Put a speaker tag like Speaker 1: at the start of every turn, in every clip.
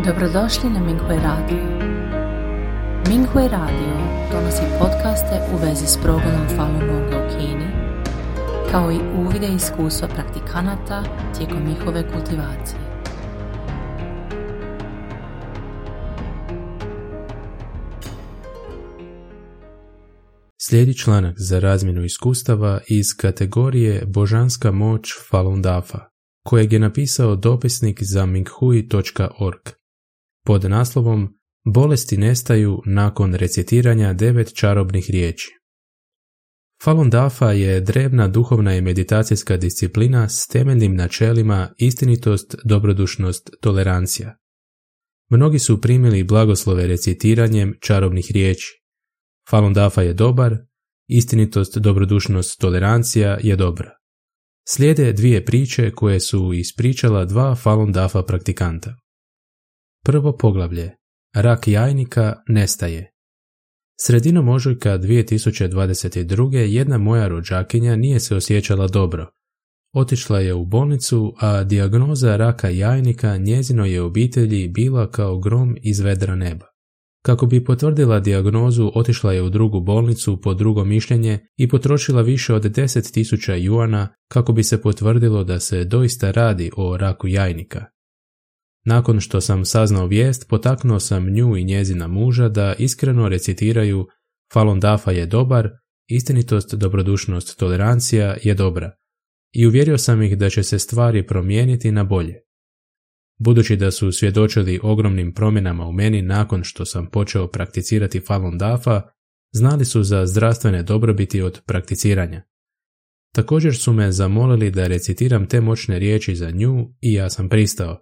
Speaker 1: Dobrodošli na Minghui Radio. Minghui Radio donosi podcaste u vezi s progledom Falun Gonga u Kini, kao i uvide i iskustva praktikanata tijekom njihove kultivacije.
Speaker 2: Slijedi članak za razmjenu iskustava iz kategorije Božanska moć Falun Dafa, kojeg je napisao dopisnik za minghui.org pod naslovom Bolesti nestaju nakon recitiranja 9 čarobnih riječi. Falun Dafa je drevna duhovna i meditacijska disciplina s temeljnim načelima istinitost, dobrodušnost, tolerancija. Mnogi su primili blagoslove recitiranjem čarobnih riječi. Falun Dafa je dobar, istinitost, dobrodušnost, tolerancija je dobra. Slijede dvije priče koje su ispričala dva Falun Dafa praktikanta. Prvo poglavlje. Rak jajnika nestaje. Sredinom ožujka 2022. jedna moja rođakinja nije se osjećala dobro. Otišla je u bolnicu, a dijagnoza raka jajnika njezinoj je obitelji bila kao grom iz vedra neba. Kako bi potvrdila dijagnozu, otišla je u drugu bolnicu po drugo mišljenje i potrošila više od 10.000 juana kako bi se potvrdilo da se doista radi o raku jajnika. Nakon što sam saznao vijest, potaknuo sam nju i njezina muža da iskreno recitiraju Falun Dafa je dobar, istinitost, dobrodušnost, tolerancija je dobra i uvjerio sam ih da će se stvari promijeniti na bolje. Budući da su svjedočili ogromnim promjenama u meni nakon što sam počeo prakticirati Falun Dafa, znali su za zdravstvene dobrobiti od prakticiranja. Također su me zamolili da recitiram te moćne riječi za nju i ja sam pristao.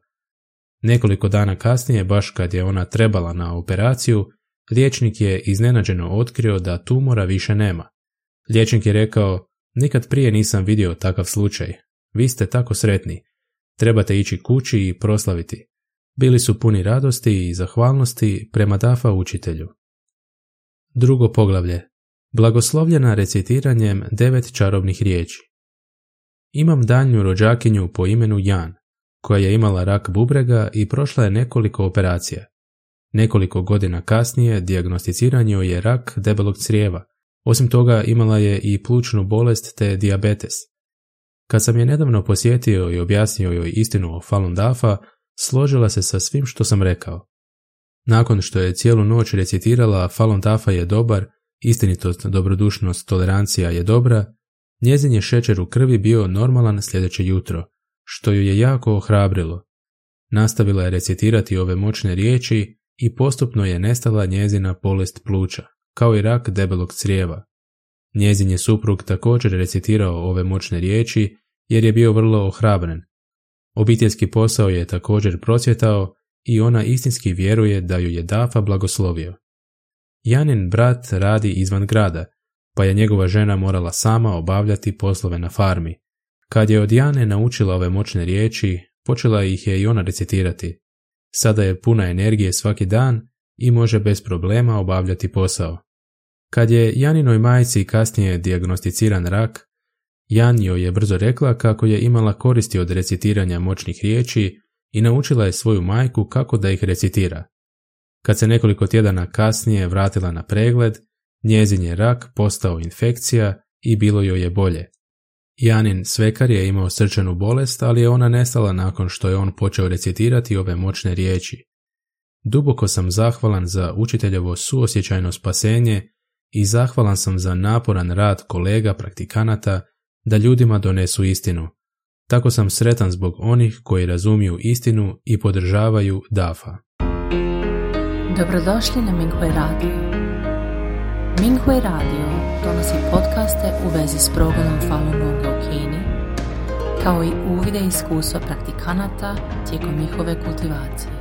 Speaker 2: Nekoliko dana kasnije, baš kad je ona trebala na operaciju, liječnik je iznenađeno otkrio da tumora više nema. Liječnik je rekao, nikad prije nisam vidio takav slučaj. Vi ste tako sretni. Trebate ići kući i proslaviti. Bili su puni radosti i zahvalnosti prema Dafa učitelju. Drugo poglavlje. Blagoslovljena recitiranjem 9 čarobnih riječi. Imam daljnju rođakinju po imenu Jan, koja je imala rak bubrega i prošla je nekoliko operacija. Nekoliko godina kasnije dijagnosticiran joj je rak debelog crijeva. Osim toga imala je i plućnu bolest te dijabetes. Kad sam je nedavno posjetio i objasnio joj istinu o Falun Dafa, složila se sa svim što sam rekao. Nakon što je cijelu noć recitirala Falun Dafa je dobar, istinitost, dobrodušnost, tolerancija je dobra, njezin je šećer u krvi bio normalan sljedeće jutro, što ju je jako ohrabrilo. Nastavila je recitirati ove moćne riječi i postupno je nestala njezina bolest pluća, kao i rak debelog crijeva. Njezin je suprug također recitirao ove moćne riječi jer je bio vrlo ohrabren. Obiteljski posao je također procvjetao i ona istinski vjeruje da ju je Dafa blagoslovio. Janin brat radi izvan grada, pa je njegova žena morala sama obavljati poslove na farmi. Kad je od Jane naučila ove moćne riječi, počela ih je i ona recitirati. Sada je puna energije svaki dan i može bez problema obavljati posao. Kad je Janinoj majci kasnije dijagnosticiran rak, Jan joj je brzo rekla kako je imala koristi od recitiranja moćnih riječi i naučila je svoju majku kako da ih recitira. Kad se nekoliko tjedana kasnije vratila na pregled, njezin je rak postao infekcija i bilo joj je bolje. Janin svekar je imao srčanu bolest, ali je ona nestala nakon što je on počeo recitirati ove moćne riječi. Duboko sam zahvalan za učiteljevo suosjećajno spasenje i zahvalan sam za naporan rad kolega praktikanata da ljudima donesu istinu. Tako sam sretan zbog onih koji razumiju istinu i podržavaju Dafa.
Speaker 1: Dobrodošli na Minghui Radio. Minghui Radio donosi podcaste u vezi s progledom Falun Gonga u Kini, kao i uvide i iskustva praktikanata tijekom njihove kultivacije.